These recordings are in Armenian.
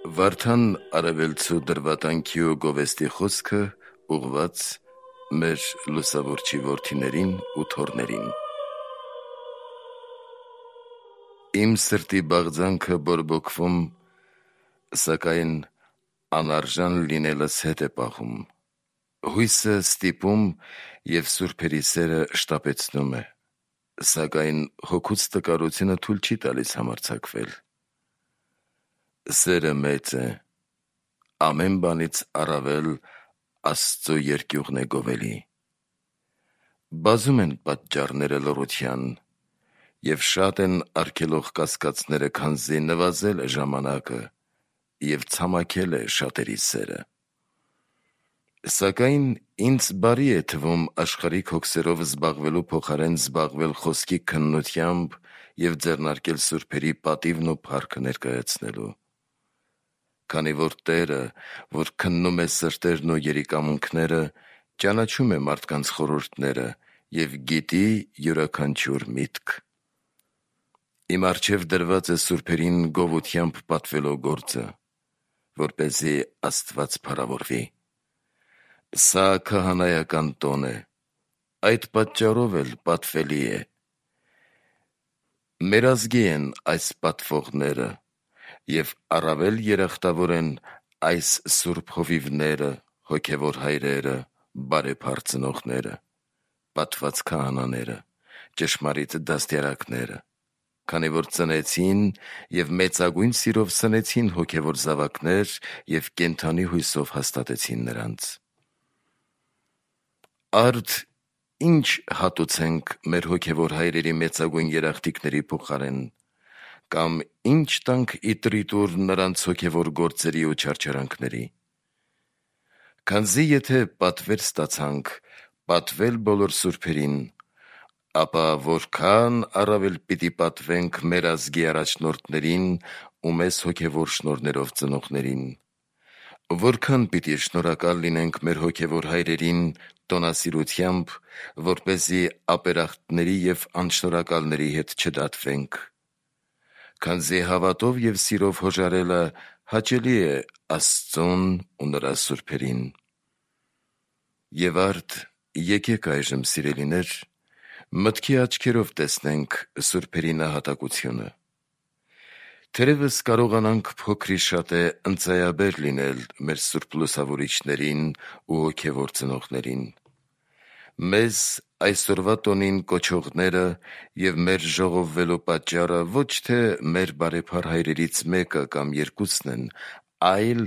Վարդան արևելցու դրվատանքի ու գովեստի խոսքը ուղված մեր լուսավորչի որդիներին ու թոռներին։ Իմ սրտի բաղձանքը բորբոքվում, սակայն անարժան լինելս հետ է պահում։ Հույսը ստիպում և սուրբերի սերը շտապեցնում է, սակայն հոգուց տկարությունը թույլ չի տալիս համարձակվել։ Սերը մեծ է, ամեն բանից առավել Աստծո երկյուղն է գովելի։ Բազում են պատճառները լռության, և շատ են արգելող կասկածները, քանզի նվազել է ժամանակը և ցամաքել է շատերի սերը։ Սակայն ինձ բարի է թվում աշխարհիկ հոգսերով զբաղվելու փոխարեն զբաղվել խոսքի քննությամբ և ձեռնարկել սուրբերի պատիվն ու փառքը ներկայացնելու։ Քանի որ Տերը, որ քննում է սրտերն ու երիկամունքները, ճանաչում է մարդկանց խորհուրդները և գիտի յուրաքանչյուր միտք։ Իմ առջև դրված է սուրբերին գովությամբ պատվելու գործը, որպեսզի Աստված փառավորվի։ Սա քահանայական տոն է, այդ պատճառով էլ պատվելի է։ Մեր ազգի են այս պատվողները, և առավել երախտավոր են այս սուրբ հովիվները, հոգևոր հայրերը, բարեփառ ծնողները, պատված քահանաները, ճշմարիտ դաստիարակները, քանի որ ծնեցին և մեծագույն սիրով սնեցին հոգևոր զավակներ և կենդանի հույսով հաստատեցին նրանց։ Արդ ի՞նչ հատուցենք մեր հոգևոր հայրերի մեծագույն երախտիկների փոխարեն, կամ ի՞նչ տանք իտրիտուր նրանց հոգևոր գործերի ու չարչարանքների։ Քանզի եթե պատվեր ստացանք պատվել բոլոր սուրբերին, ապա որքան առավել պիտի պատվենք մեր ազգի առաջնորդներին ու մեզ հոգևոր շնորհներով ծնողներին։ Որքան պիտի շնորհակալ լինենք մեր հոգևոր հայրերին տոնասիրությամբ, որպեսզի ապերախտների և անշնորհակալների հետ չդատվենք։ Քանզի հավատով և սիրով հոժարելը հաճելի է Աստծուն ու նրա սուրբերին։ Եվ արդ եկեք այժմ, սիրելիներ, մտքի աչքերով տեսնենք սուրբերի նահատակությունը։ Թերևս կարողանանք փոքրիշատե ընծայաբեր լինել մեր սուրբ լուսավորիչներին ու հոգևոր ծնողներին։ Մեզ այսօրվա տոնին կոչողները և մեր ժողովվելու պատճառը ոչ թե մեր բարեփառ հայրերից մեկը կամ երկուսն են, այլ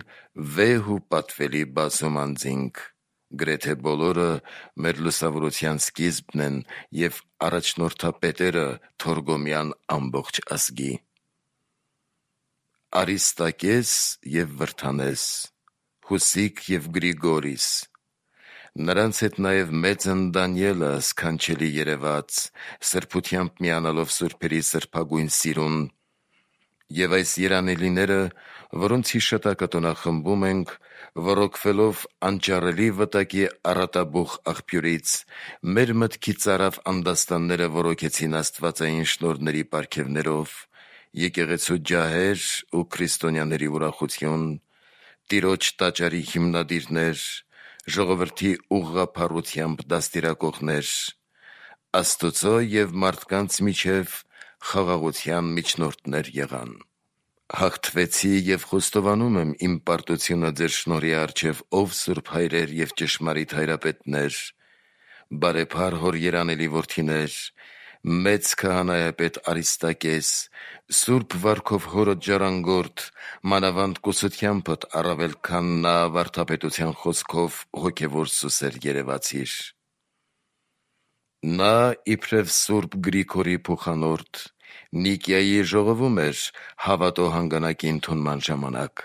վեհ ու պատվելի բազում անձինք, գրեթե բոլորը մեր լուսավորության սկիզբն են և առաջնորդապետերը Թորգոմյան ամբողջ ազգի։ Արիստակես և Վրդանես, Հուսիկ և Գրիգորիս, նրանց հետ նաև մեծն Դանիելը սքանչելի երևաց, սրբությամբ միանալով սուրբերի սրբագույն սիրուն, և այս երանելիները, որոնց հիշատակը տոնախմբում ենք, ոռոգվելով անճարելի վտակի առատաբուխ աղբյուրից, մեր մտքի ծարավ անդաստանները ոռոգեցին աստվածային շնորհների պարգևներով, եկեղեցու ջահեր ու քրիստոնյաների ուրախություն, Տիրոջ տաճարի հիմնադիրներ, ժողովրդի ուղղափառությամբ դաստիարակողներ, Աստծո և մարդկանց միջև խաղաղության միջնորդներ եղան։ Հաղթվեցի և խոստովանում եմ իմ պարտությունը ձեր շնորհի առջև, ով սուրբ հայրեր և ճշմարիտ հայրապետներ, բարեփառ հոր երանելի որդիներ, մեծ քահանայապետ Արիստակես, սուրբ վարքով հորդ ժառանգորդ, մանավանդ կուսությամբդ առավել քան նա վարդապետության խոսքով հոգևոր սուսեր երևացիր։ Նա իբրև սուրբ Գրիգորի փոխանորդ Նիկիայի ժողովում էր հավատո հանգանակի ընդունման ժամանակ,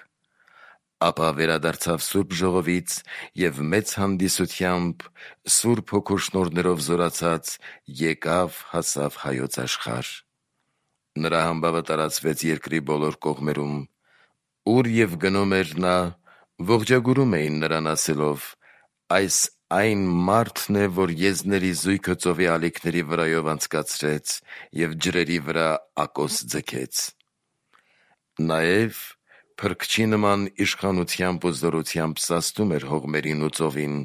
ապա վերադարձավ սուրբ ժողովից և մեծ հանդիսությամբ, սուրբ հոգու շնորհներով զորացած, եկավ հասավ հայոց աշխարհ։ Նրա համբավը տարածվեց երկրի բոլոր կողմերում, ուր և գնում էր նա, ողջագուրում էին նրան ասելով. «Այս այն մարդն է, որ եզների զույգը ծովի ալիքների վրայով անցկացրեց և ջրերի վրա ակոս ձգեց»։ Նաև փրկչի նման իշխանությամբ ու զորությամբ սաստում էր հողմերին ու ծովին,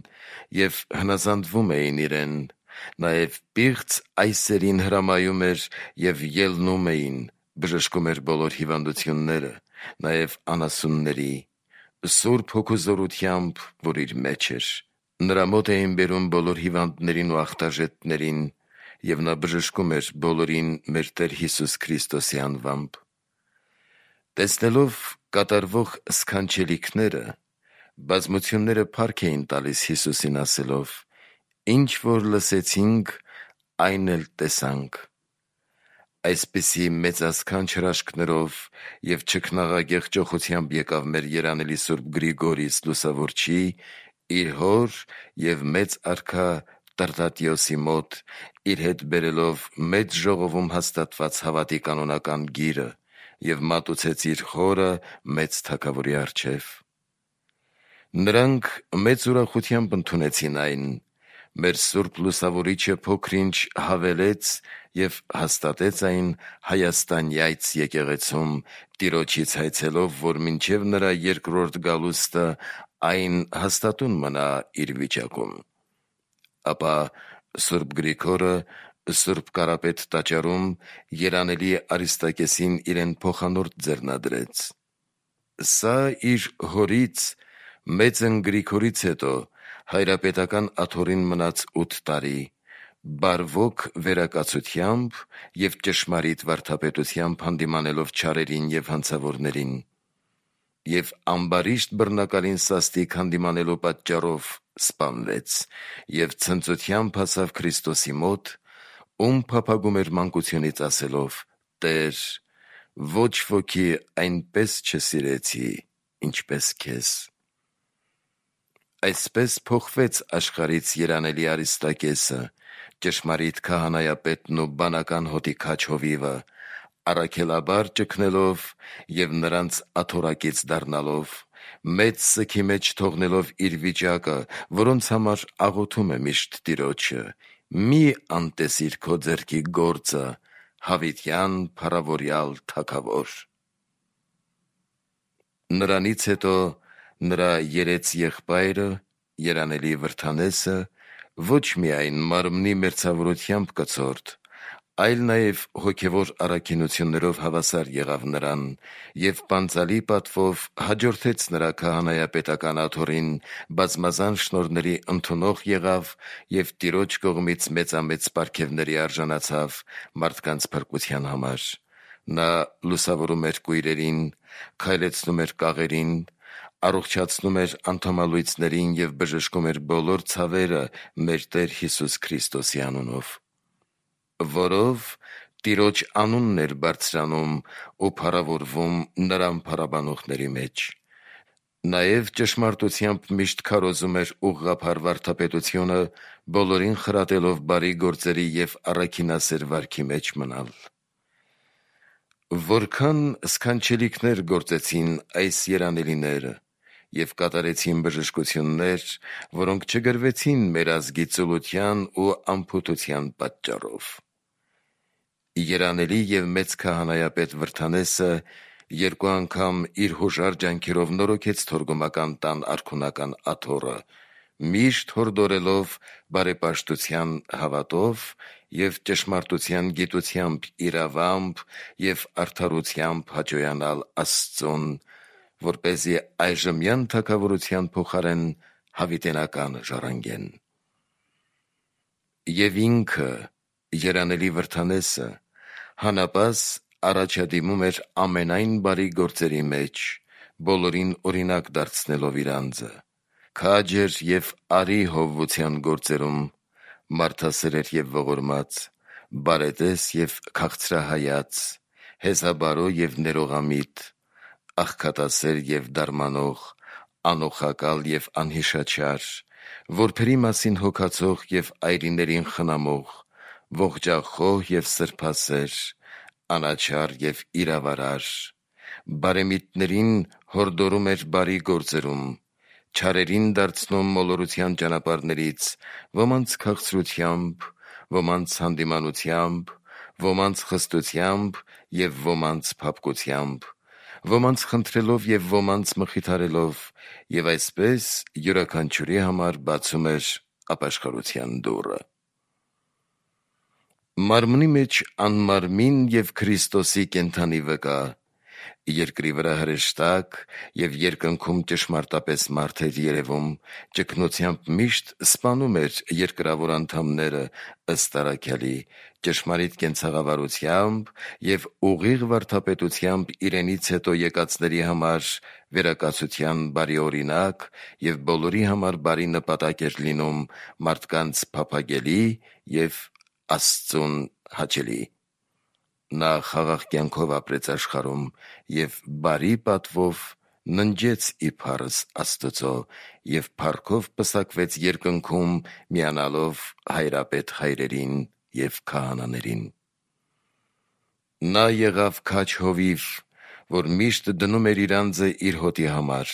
և հնազանդվում էին իրեն, նաև պիղծ այսերին հրամայում էր և ելնում էին, բժշկում էր բոլոր հիվանդությունները, նաև անասունների, Սուրբ Հոգու զորությամբ, որ իր մեջ էր։ Նրա մոտ էին բերում բոլոր հիվանդներին ու ախտաժեթներին, և նա բժշկում էր բոլորին մեր Տեր Հիսուս Քրիստոսի անվամբ։ Տեսնելով կատարվող սքանչելիքները, բազմությունները փառք էին տալիս Հիսուսին, ասելով. «Ինչ որ լսեցինք, այն էլ տեսանք»։ Այսպիսի մեծասքանչ հրաշքներով և չքնաղագեղ ճոխությամբ եկավ մեր երանելի Սուրբ Գրիգորիս Լուսավորչի իր հոր և մեծ արքա Տրտատիոսի մոտ, իր հետ բերելով մեծ ժողովում հաստատված հավատի կանոնական գիրը, և մատուցեց իր խորը մեծ թագավորի առջև։ Նրանք մեծ ուրախությամբ ընդունեցին այն։ Մեր Սուրբ Լուսավորիչը փոքր-ինչ հավելեց և հաստատեց այն Հայաստանյայց եկեղեցում, Տիրոջից հայցելով, որ մինչև նրա երկրորդ գալուստը այն հաստատուն մնա իր վիճակում։ Ապա Սուրբ Գրիգորը Սուրբ Կարապետ տաճարում երանելի Արիստակեսին իրեն փոխանորդ ձեռնադրեց։ Սա իր հորից Մեծն Գրիգորից հետո հայրապետական աթոռին մնաց 8 տարի, բարվոք վերակացությամբ և ճշմարիտ վարդապետությամբ հանդիմանելով չարերին և հանցավորներին, և ամբարիշտ բռնակալին սաստիկ հանդիմանելու պատճառով սպանվեց և ցնծությամբ հասավ Քրիստոսի մոտ, ում փափագում էր մանկությունից, ասելով. «Տեր, ոչ ոքի այնպես չսիրեցի, ինչպես քեզ»։ Այսպես փոխվեց աշխարհից երանելի Արիստակեսը, ճշմարիտ քահանայապետն ու բանական հոտի քաջ հովիվը, առաքելաբար ճգնելով և նրանց աթոռակից դառնալով, մեծ սգի մեջ թողնելով իր վիճակը, որոնց համար աղոթում է միշտ Տիրոջը. «Մի անտեսիր քո ձեռքի գործը, հավիտյան փառավորյալ Թագավոր»։ Նրանից հետո նրա երեց եղբայրը, երանելի Վրդանեսը, ոչ միայն մարմնի մերձավորությամբ կցորդ, այլ նաև հոգևոր առաքինություններով հավասար եղավ նրան և պանծալի պատվով հաջորդեց նրա քահանայապետական աթոռին, բազմազան շնորհների ընդունող եղավ և Տիրոջ կողմից մեծամեծ պարգևների արժանացավ մարդկանց փրկության համար։ Նա լուսավորում էր կույրերին, քայլեցնում էր կաղերին, առողջացնում էր անդամալույծներին և բժշկում էր բոլոր ցավերը մեր Տեր Հիսուս Քրիստոսի անունով, որով Տիրոջ անունն էր բարձրանում ու փառավորվում նրան փառաբանողների մեջ։ Նաև ճշմարտությամբ միշտ քարոզում էր ուղղափառ վարդապետությունը, բոլորին խրատելով բարի գործերի և առաքինասեր վարքի մեջ մնալ։ Որքան սքանչելիքներ գործեցին այս երանելիները և կատարեցին բժշկություններ, որոնք չգրվեցին մեր ազգի ծուլության ու անփութության պատճառով։ Երանելի և մեծ քահանայապետ Վրդանեսը 2 անգամ իր հոժար ջանքերով նորոգեց թորգոմական տան արքունական աթոռը, միշտ հորդորելով բարեպաշտության հավատով և ճշմարտության գիտությամբ իրավամբ և արդարությամբ հաճոյանալ Աստծուն, որպեսզի այժմյան թագավորության փոխարեն հավիտենականը ժառանգեն։ Եվ ինքը, երանելի Վրդանեսը, հանապազ առաջադիմում էր ամենայն բարի գործերի մեջ, բոլորին օրինակ դարձնելով իր անձը, քաջ էր և արի հովվության գործերում, մարդասեր էր և ողորմած, բարետես և քաղցրահայաց, հեզաբարո և ներողամիտ, աղքատասեր և դարմանող, անօխակալ և անհիշաչար, որբերի մասին հոգացող և այրիներին խնամող, ողջախոհ և սրբասեր, անաչառ և իրավարար, բարեմիտներին հորդորում էր բարի գործերում, չարերին դարձնում մոլորության ճանապարհներից, ոմանց քաղցրությամբ, ոմանց հանդիմանությամբ, ոմանց խստությամբ և ոմանց փափկությամբ, ոմանց խնդրելով և ոմանց մխիթարելով, և այսպես յուրաքանչյուրի համար բացում էր ապաշխարության դուռը։ Մարմնի մեջ անմարմին և Քրիստոսի կենդանի վկա, երկրի վրա հրեշտակ և երկնքում ճշմարտապես մարդ էր երևում, ճգնությամբ միշտ սպանում էր երկրավոր անդամները ըստ առաքյալի, ճշմարիտ կենցաղավարությամբ և ուղիղ վարդապետությամբ իրենից հետո եկածների համար վերակացության բարի օրինակ և բոլորի համար բարի նպատակ էր լինում, մարդկանց փափագելի և Աստծուն հաճելի։ Նա խաղաղ կյանքով ապրեց աշխարհում և բարի պատվով ննջեց իբարս Աստծո և փառքով պսակվեց երկնքում, միանալով հայրապետ հայրերին և քահանաներին։ Նա եղավ քաջ հովիվ, որ միշտ դնում էր իր անձը իր հոտի համար,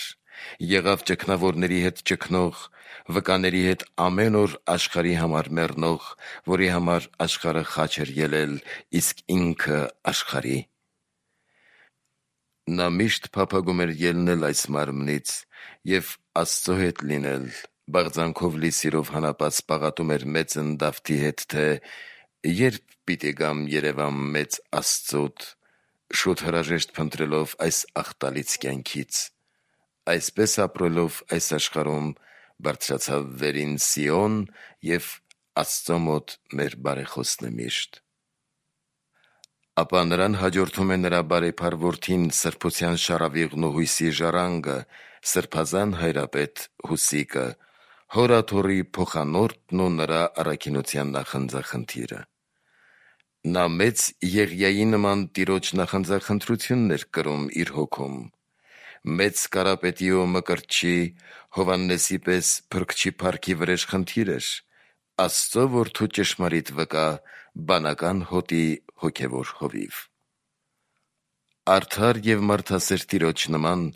եղավ ճգնավորների հետ ճգնող, վկաների հետ ամեն օր աշխարհի համար մեռնող, որի համար աշխարհը խաչ էր ելել, իսկ ինքը աշխարհի։ Նա միշտ փափագում էր ելնել այս մարմնից և Աստծո հետ լինել, բաղձանքով լի սիրով հանապած պաղատում էր մեծն Դավթի հետ, թե «Երբ պիտի գամ երևամ մեծ Աստծուդ», շուտ հրաժեշտ փնտրելով այս աղտալից կյանքից։ Այսպես ապրելով այս աշխարհում բարձրացավ վերին Սիոն և Աստծո մոտ մեր բարեխոսն է միշտ։ Ապա նրան հաջորդում է նրա բարեփառ որդին սրբության շառավիղն ու հույսի ժառանգը, սրբազան հայրապետ Հուսիկը, հոր աթոռի փոխանորդն ու նրա առաքինության նախանձախնդիրը։ Նա մեծ Եղիայի նման Տիրոջ նախանձախնդրությունն էր կրում իր հոգում, մեծ Կարապետի ու Մկրտչի Հովհաննեսի պես Փրկչի փառքի վրեժխնդիր էր, Աստծո որդու ճշմարիտ վկա, բանական հոտի հոգևոր հովիվ։ Արդար և մարդասեր Տիրոջ նման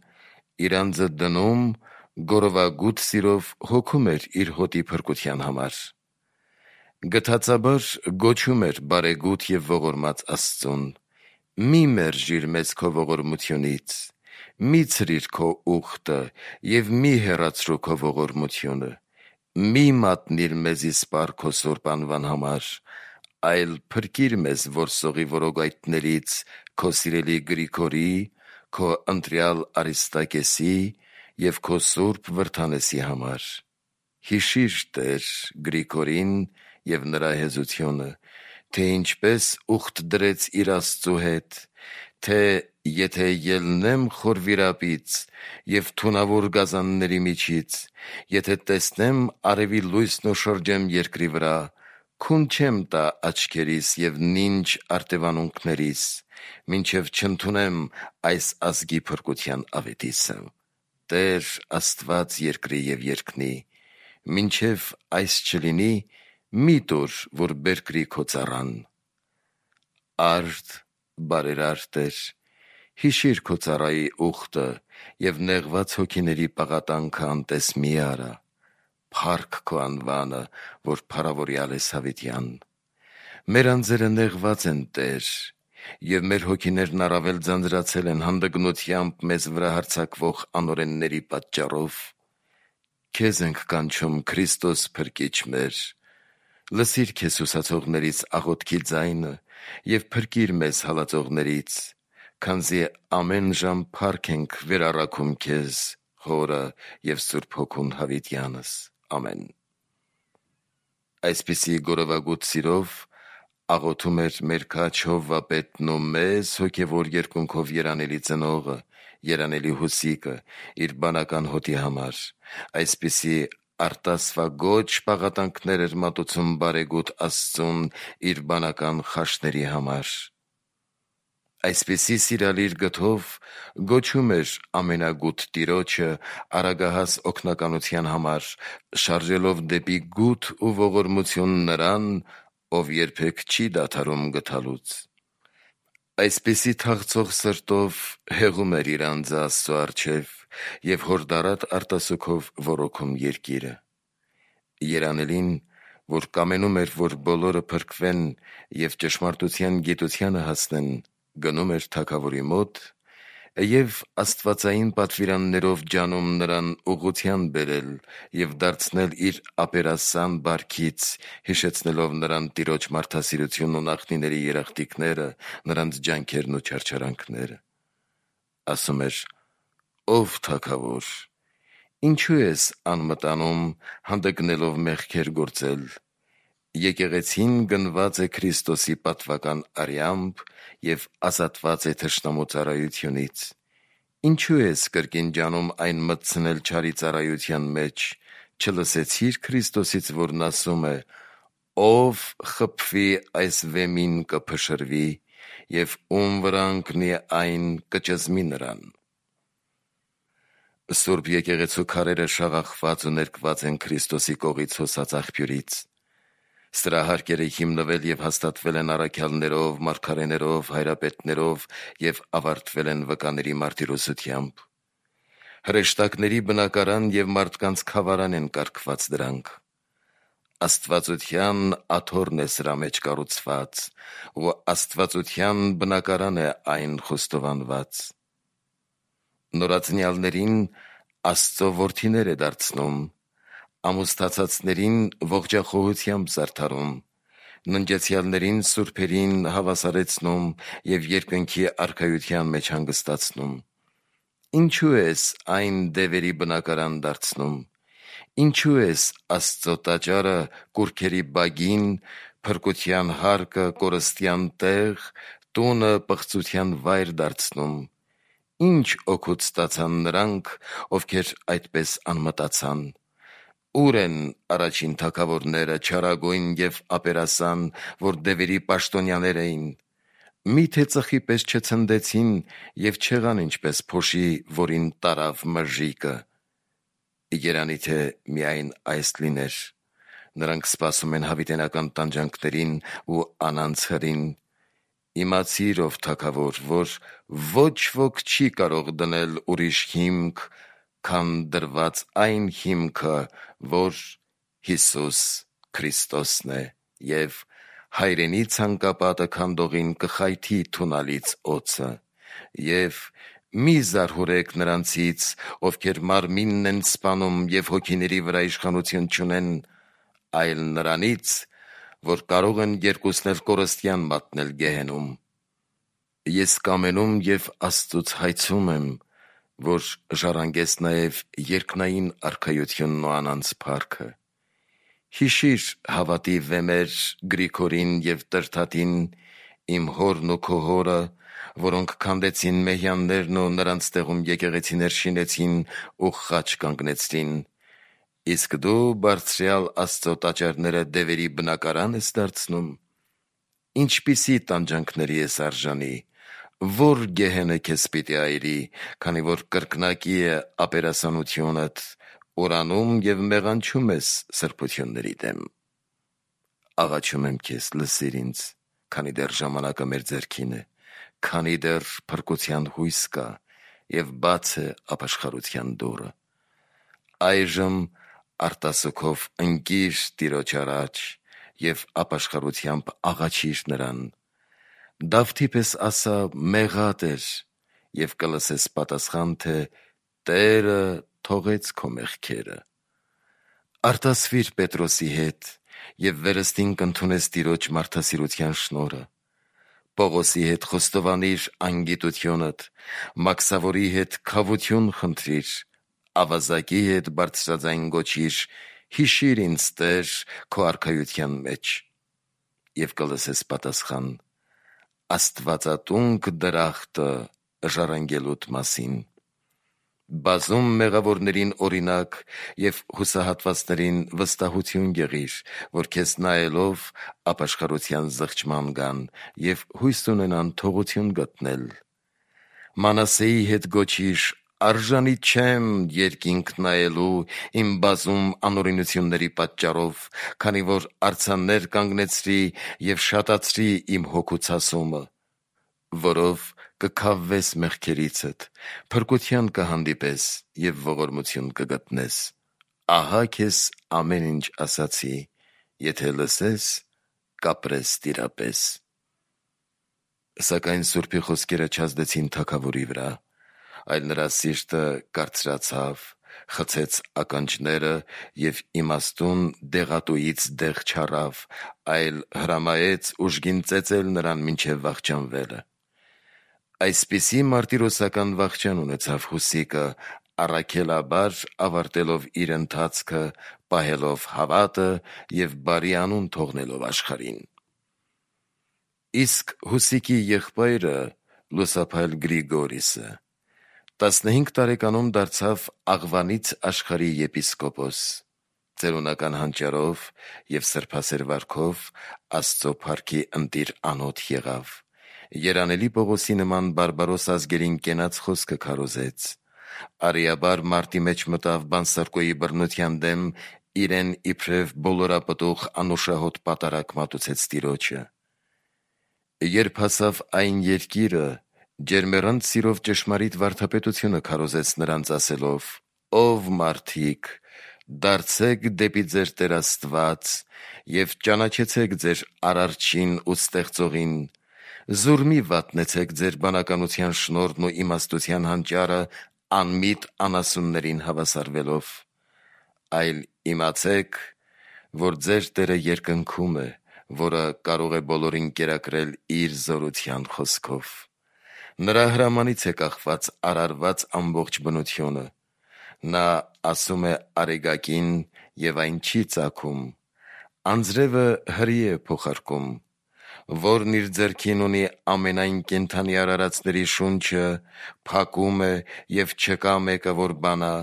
իր անձը դնում, գորովագութ սիրով հոգում էր իր հոտի փրկության համար։ Գթածաբար գոչում էր բարեգութ և ողորմած Աստծուն. «Մի մերժիր մեզ քո ողորմությունից, մի ցրիր քո ուխտը և մի հեռացրու քո ողորմությունը, մի մատնիր մեզի սպառ քո սուրբ անվան համար, այլ փրկիր մեզ որսողի որոգայթներից քո սիրելի Գրիգորի, քո ընտրյալ Արիստակեսի և քո սուրբ Վրդանեսի համար։ Հիշիր, Տեր, Գրիգորին և նրա հեզությունը, թե ինչպես ուխտ դրեց իր Աստծու հետ, թե եթե ելնեմ խոր վիրապից և թունավոր գազանների միջից, եթե տեսնեմ արևի լույսն ու շրջեմ երկրի վրա, քուն չեմ տա աչքերիս և նինջ արտևանունքներիս, մինչև չընդունեմ այս ազգի փրկության ավետիսը։ Տեր Աստված երկրի և երկնի, մինչև այս չլինի, մի տուր, որ բերկրի քո ծառան։ Արդ, բարերար Տեր, հիշիր քո ծառայի ուխտը և նեղված հոգիների պաղատանքը անտես մի արա։ Փառք քո անվանը, որ փառավորյալ ես հավիտյան։ Մեր անձերը նեղված են, Տեր, և մեր հոգիներն առավել ձանձրացել են հանդգնությամբ մեզ վրա հարձակվող անօրենների պատճառով։ Քեզ ենք կանչում, Քրիստոս Փրկիչ մեր, լսիր քեզ հուսացողներից աղոթքի ձայնը և փրկիր մեզ հալածողներից, քանզի ամեն ժամ փառք ենք վերառաքում քեզ, Հորը և Սուրբ Հոգուն հավիտյանս։ Ամեն։ Այսպիսի գորովագութ սիրով աղոթում էր մեր քաջ Հովվապետն ու մեզ հոգևոր երկունքով երանելի ծնողը, երանելի Հուսիկը, իր բանական հոտի համար, այսպիսի արտասվագոչ պաղատանքներ էր մատուցում բարեգութ Աստծուն իր բանական խաշների համար։ Այսպիսի սիրալիր գթով գոչում էր ամենագութ Տիրոջը արագահաս օգնականության համար, շարժելով դեպի գութ ու ողորմություն նրան, ով երբեք չի դադարում գթալուց։ Այսպիսի թախծող սրտով հեղում էր իր անձը Աստծո առջև և հորդառատ արտասուքով ոռոգում երկիրը։ Երանելին, որ կամենում էր, որ բոլորը փրկվեն և ճշմարտության գիտությանը հասնեն, գնում էր թագավորի մոտ եւ աստվածային պատվիրաններով ջանում նրան ուղղության բերել եւ դարձնել իր ապերասան բարքից, հիշեցնելով նրան տիրոջ մարդասիրությունն ու նախնիների երախտիկները, նրանց ջանքերն ու չարչարանքները։ Ասում էր. «Ով թագավոր, ինչու ես անմտանում հանդգնելով մեղքեր գործել։ Եկեղեցին գնված է Քրիստոսի պատվական արյամբ եւ ազատված է թշնամու ծառայությունից։ Ինչու ես կրկին ջանում այն մտցնել չարի ծառայության մեջ, չլսեցիր Քրիստոսից, որն ասում է. ով խփվի այս վեմին կփշրվի, եւ ում վրա ընկնի այն կճզմի նրան»։ Սուրբ եկեղեցու քարերը շաղախված ու ներկված են Քրիստոսի կողից հոսած աղբյուրից։ Սրա հարկերը հիմնվել եւ հաստատվել են առաքյալներով, մարգարեներով, հայրապետներով եւ ավարտվել են վկաների մարտիրոսությամբ։ Հրեշտակների բնակարան եւ մարդկանց խավարան են կարգված դրանք։ Աստվածության աթոռն է սրա մեջ կառուցված, ու աստվածության բնակարան է այն խոստովանված։ Նորածնյալներին Աստծո որդիներ է դարձնում, ամուսնացածներին ողջախոհությամբ զարդարում, ննջեցյալներին սուրբերին հավասարեցնում եւ երկնքի արքայության մեջ հանգստացնում։ Ինչու ես այն դևերի բնակարան դարձնում։ Ինչու ես Աստծո տաճարը կուռքերի բագին, փրկության հարկը կորստյան տեղ, տունը պղծության վայր դարձնում։ Ինչ օգուտ ստացան նրանք, ովքեր այդպես անմտացան։ Ուր են առաջին թագավորները, չարագույն եւ ապերասան, որ դևերի պաշտոնյաներ էին։ Միթե ծխի պես չցնդեցին եւ չեղան ինչպես փոշի, որին տարավ մրրիկը։ Երանի թե միայն այս լիներ։ Նրանք սպասում են հավիտենական տանջանքներին ու անանց հրին։ Իմացիր, ով թագավոր, որ ոչ ոք չի կարող դնել ուրիշ հիմք, քան դրված այն հիմքը, որ Հիսուս Քրիստոսն է, եւ հայրենի ցանկապատը քանդողին կխայթի թունալից օծը, եւ մի զարհուրեք նրանցից, ովքեր մարմինն են սպանում եւ հոգիների վրա իշխանություն չունեն, այլ նրանից, որ կարող են երկուսն էլ կորստյան մատնել գեհենում։ Ես կամենում եւ Աստծուց հայցում եմ, որ ժառանգես նաեւ երկնային արքայությունն ու անանց փառքը։ Հիշիր հավատի վեմեր Գրիգորին եւ Տրդատին, իմ հորն ու քո հորը, որոնք քանդեցին մեհյաններն ու նրանց տեղում եկեղեցիներ շինեցին ու խաչ կանգնեցրին։ Իսկ դու բարձրյալ Աստծո տաճարները դևերի բնակարան ես դարձնում։ Ինչպիսի տանջանքների ես արժանի, որ գեհենը քեզ պիտի այրի, քանի որ կրկնակի է ապերասանությունդ, ուրանում եւ մեղանչում ես սրբությունների դեմ։ Աղաչում եմ քեզ, լսիր ինձ, քանի դեռ ժամանակը մեր ձեռքին է, քանի դեռ փրկության հույս կա եւ բաց է ապաշխարության դուռը։ Այժմ արտասուքով ընկիր Տիրոջ առաջ եւ ապաշխարությամբ աղաչիր նրան։ Դավթի պես ասա՝ մեղատ էր, եւ կլսես պատասխան, թե Տերը թողեց քո մեղքերը։ Արտասվիր Պետրոսի հետ եւ վերստին կընդունես Տիրոջ մարդասիրության շնորհը։ Պողոսի հետ խոստովանիր անգիտությունդ, Մաքսավորի հետ քավություն խնդրիր, ավազակի հետ բարձրաձայն գոչիր, հիշիր ինձ Տեր քո արքայության մեջ։ Եվ կլսես պատասխան. Աստվածատունք դրախտը ժառանգելուդ մասին։ Բազում մեղավորներին օրինակ եւ հուսահատվածներին վստահություն եղիր, որ քեզ նայելով ապաշխարության զղջման գան եւ հույս ունենան թողություն գտնել։ Մանասեի հետ գոչիր. արժանի չեմ երկինք նայելու իմ բազում անօրինությունների պատճառով, քանի որ արձաններ կանգնեցրի եւ շատացրի իմ հոգու ցասումը, որով կքավվես մեղքերիցդ, փրկության կհանդիպես եւ ողորմություն կգտնես։ Ահա քեզ ամեն ինչ ասացի, եթե լսես, կապրես տիրապես։ Սակայն Սուրբի խոսքերը չազդեցին թագավորի վրա, այլ նրա սիրտը կարծրացավ, խցեց ականջները և իմաստուն դեղատուից դեղ չառավ, այլ հրամայեց ուժգին ծեծել նրան մինչև վախճանվելը։ Այսպիսի մարտիրոսական վախճան ունեցավ Խուսիկը, առաքելաբար ավարտելով իր ընթացքը, պահելով հավատը և բարի անուն թողնելով աշխարհին։ Իսկ Հուսիկի եղբայրը Լուսափայլ Գրիգորիսը 15 տարեկանում դարձավ Աղվանից աշխարհի եպիսկոպոս, ծերունական հանճարով և սրբասեր վարքով Աստծո փառքի ընտիր անոթ եղավ, Երանելի Պողոսի նման բարբարոս ազգերին կենաց խոսքը քարոզեց, արիաբար մարտի մեջ մտավ Բանսարկոյի բռնության դեմ, իրեն իբրև բոլորապտուղ անուշահոտ պատարագ մատուցեց Տիրոջը։ Երբ հասավ այն երկիրը, ջերմեռանդ սիրով ճշմարիտ վարդապետությունը քարոզեց նրանց ասելով. «Ով մարդիկ, դարձեք դեպի ձեր Տեր Աստված և ճանաչեցեք ձեր Արարչին ու Ստեղծողին, զուր մի վատնեցեք ձեր բանականության շնորհն ու իմաստության հանճարը անմիտ անասուններին հավասարվելով, այլ իմացեք, որ ձեր Տերը երկնքում է, որը կարող է բոլորին կերակրել իր զորության խոսքով։ Նրա հրամանից է կախված արարված ամբողջ բնությունը։ Նա ասում է արեգակին, և այն չի ծագում, անձրևը հրի է փոխարկում, որն իր ձեռքին ունի ամենայն կենդանի արարածների շունչը, փակում է, և չկա մեկը, որ բանա,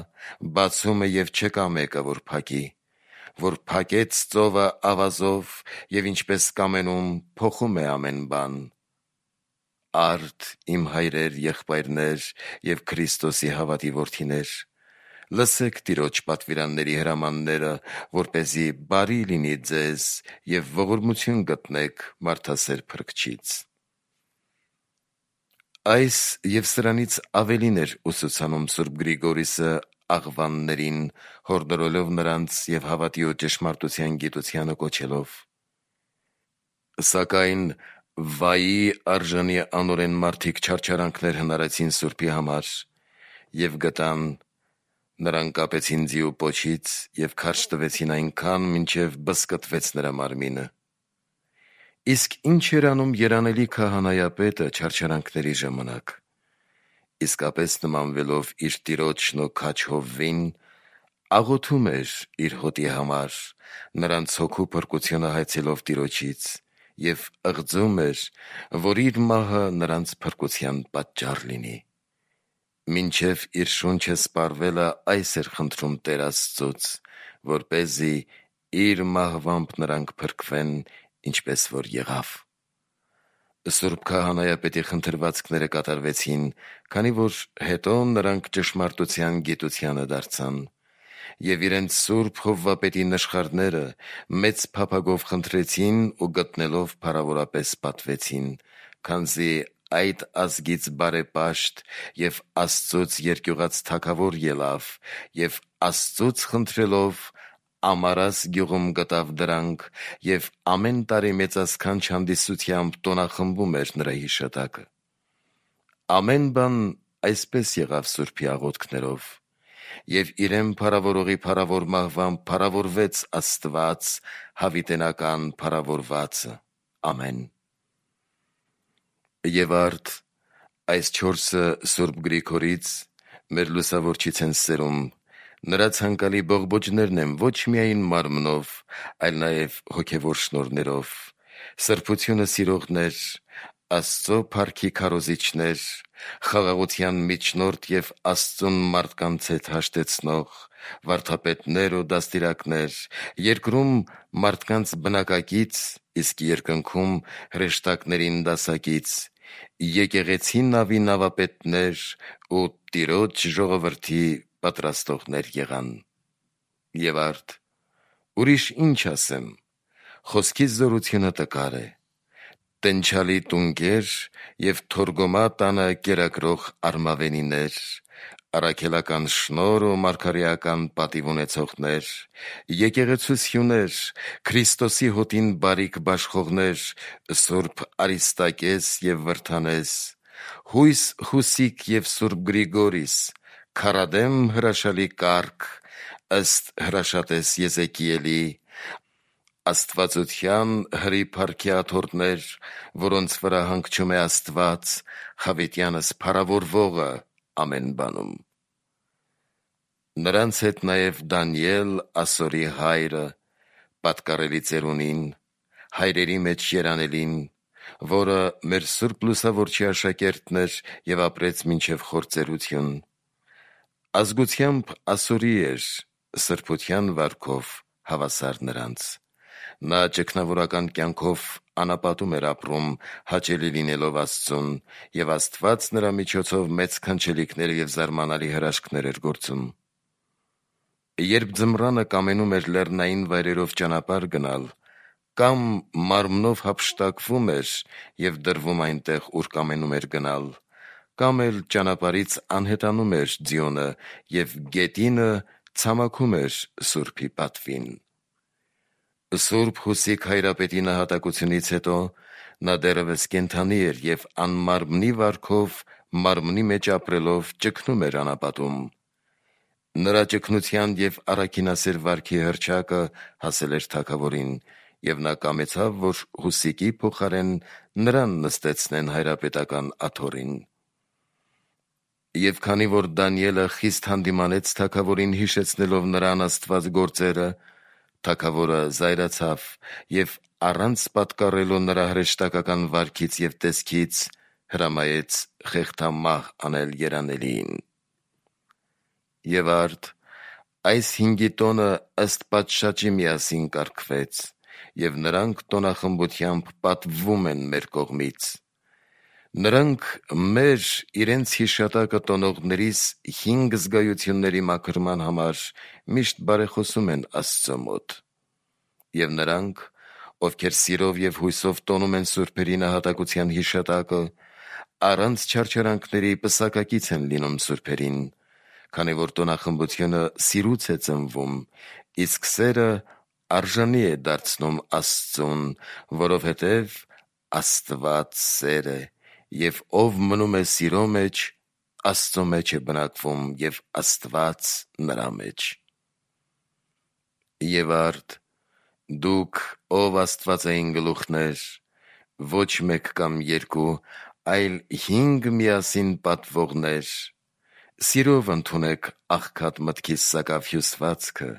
բացում է, և չկա մեկը, որ փակի, որ փակեց ծովը ավազով և ինչպես կամենում փոխում է ամեն բան։ Արդ իմ հայրեր, եղբայրներ և Քրիստոսի հավատի որդիներ, լսեք Տիրոջ պատվիրանների հրամանները, որպեսզի բարի լինի ձեզ և ողորմություն գտնեք մարդասեր Փրկչից»։ Այս և սրանից ավելին էր ուսուցանում Սուրբ Գրիգորիսը աղվաններին, հորդորելով նրանց և հավատի ու ճշմարտության գիտությանը կոչելով։ Սակայն վայի արժանի անօրեն մարդիկ չարչարանքներ հնարեցին Սուրբի համար և գտան, նրան կապեցին ձիու պոչից և քարշ տվեցին այնքան, մինչև բզկտվեց նրա մարմինը։ Իսկ ինչ էր անում երանելի քահանայապետը չարչարանքների ժամանակ։ Իսկապես նմանվելով իր տիրոջն ու քաջ Հովվին, աղոթում էր իր հոտի համար, նրանց հոգու փրկությունը հայցելով Տիրոջից, և ըղձում էր, որ իր մահը նրանց փրկության պատճառ լինի։ Մինչև իր շունչը սպառվելը այս էր խնդրում Տեր Աստծուց, որպեսզի իր մահվամբ նրանք փրկվեն, ինչպես որ եղավ։ Սուրբ քահանայապետի խնդրվածքները կատարվեցին, քանի որ հետո նրանք ճշմարտության գիտությանը դարձան, և իրենց սուրբ հովվապետի նշխարները մեծ փափագով խնդրեցին ու գտնելով փառավորապես պատվեցին, քանզի այդ ազգից բարեպաշտ և Աստծուց երկյուղած թագավոր ելավ, և Աստծուց խնդրելով Ամարաս գյուղում գտավ դրանք, և ամեն տարի մեծասքանչ հանդիսությամբ տոնախմբում էր նրա հիշատակը։ Ամեն բան այսպես եղավ Սուրբի աղոթքներով, և իրեն փառավորողի փառավոր մահվամբ փառավորվեց Աստված, հավիտենական փառավորվածը։ Ամեն։ Եվ արդ այս չորսը Սուրբ Գրիգորից մեր լուսավորչից են սերում, նրա ցանկալի բողբոջներն են ոչ միայն մարմնով, այլ նաև հոգևոր շնորհներով, սրբությունը սիրողներ, Աստծո փառքի քարոզիչներ, խաղաղության միջնորդ և Աստծուն մարդկանց հետ հաշտեցնող, վարդապետներ ու դաստիարակներ, երկրում մարդկանց բնակակից, իսկ երկնքում հրեշտակներին դասակից, եկեղեցի նավի նավապետներ ու Տիրոջ ժողովրդի պատրաստողներ եղան։ Եվ արդ ուրիշ ինչ ասեմ, խոսքի զորությունը տկար է, տենչալի տունկեր և թորգոմա տանը կերակրող արմավենիներ, առաքելական շնորհ ու մարգարեական պատիվ ունեցողներ, եկեղեցու սյուներ, Քրիստոսի հոտին բարիք բաշխողներ, Սուրբ Արիստակես և Վրդանես, հույս Խուսիկ և Սուրբ Գրիգորիս, քարադեմ հրաշալի կարգ, ըստ հրաշատես Եզեկիելի, Աստվածության հրի փառքի աթոռներ, որոնց վրա հանգչում է Աստված, Խավետյանս փառավորվողը ամեն բանում։ Նրանց հետ նաև Դանիել, Ասորի հայրը, պատկառելի ծերունին, հայրերի մեջ երանելին, որը մեր Սուրբ Լուսավորչի աշակերտն էր և ապրեց մինչև խործերություն։ Ազգությամբ Ասորի էր, սրբության վարքով հավասար նրանց։ Նա ճգնավորական կյանքով անապատում էր ապրում, հաճելի լինելով Աստծուն, և Աստված նրա միջոցով մեծ քանչելիքներ և զարմանալի հրաշքներ էր գործում։ Երբ ձմռանը կամենում էր լեռնային վայրերով ճանապարհ գնալ, կամ մարմնով հափշտակվում էր և դրվում այնտեղ, ուր կամենում էր գնալ, կամ էլ ճանապարհից անհետանում էր ձիոնը և գետինը ցամաքում էր Սուրբի պատվին։ Սուրբ Խուսիկ հայրապետի նահատակությունից հետո նա դեռևս կենդանի էր և անմարմնի վարքով մարմնի մեջ ապրելով ճգնում էր անապատում։ Նրա ճգնության և առաքինասեր վարքի հռչակը հասել էր թագավորին, և նա կամեցավ, որ Խուսիկի փոխարեն նրան նստեցնեն հայրապետական աթոռին։ Եվ քանի որ Դանիելը խիստ հանդիմանեց թագավորին, հիշեցնելով նրա անաստված գործերը, թագավորը զայրացավ և առանց պատկառելու նրա հրեշտակական վարքից և տեսքից, հրամայեց խեղդամահ անել երանելիին։ Եվ արդ, այս 5 տոնը ըստ պատշաճի միասին կարգվեց, և նրանք տոնախմբությամբ պատվվում են մեր կողմից։ Նրանք մեր իրենց հիշատակը տոնողներիս 5 զգայությունների մաքրման համար միշտ բարեխոսում են Աստծո մոտ։ Եվ նրանք, ովքեր սիրով և հույսով տոնում են սուրբերի նահատակության հիշատակը, առանց չարչարանքների պսակակից են լինում սուրբերին, քանի որ տոնախմբությունը սիրուց է ծնվում, իսկ սերը արժանի է դարձնում Աստծուն, որովհետև Աստված սեր է, և ով մնում է սիրո մեջ, Աստծո մեջ է բնակվում, և Աստված նրա մեջ։ Եվ արդ, դուք, ով աստվածային գլուխներ, ոչ մեկ կամ երկու, այլ 5 միասին պատվողներ, սիրով ընդունեք աղքատ մտքի սակավ հյուսվածքը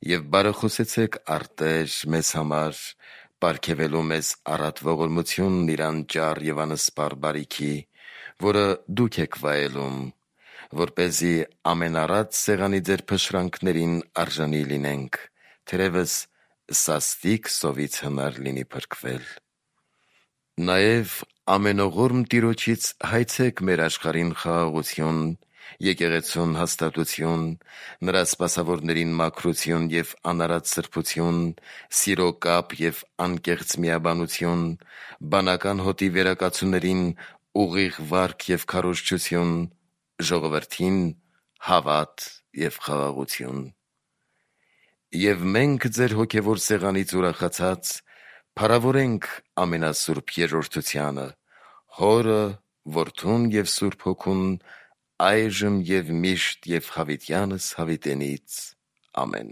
և բարեխոսեցեք արտեր մեզ համար, պարգևելու մեզ առատ ողորմությունն իր անճար և անսպառ բարիքի, որը դուք եք վայելում, որպեսզի ամենառատ սեղանի ձեր փշրանքներին արժանի լինենք, թերևս սաստիկ սովից հնար լինի փրկվել։ Նաև ամենողորմ Տիրոջից հայցեք մեր աշխարհին խաղաղություն, եկեղեցուն հաստատություն, նրա սպասավորներին մաքրություն և անարատ սրբություն, սիրո կապ և անկեղծ միաբանություն, բանական հոտի վերակացուներին ուղիղ վարք և քարոզչություն, ժողովրդին հավատ և խաղաղություն։ Եվ մենք ձեր հոգևոր սեղանից ուրախացած փառավորենք ամենասուրբ Երրորդությանը, Հորը, Որդուն և Սուրբ Հոգուն, այժմ և միշտ և հավիտյանս հավիտենից։ Ամեն։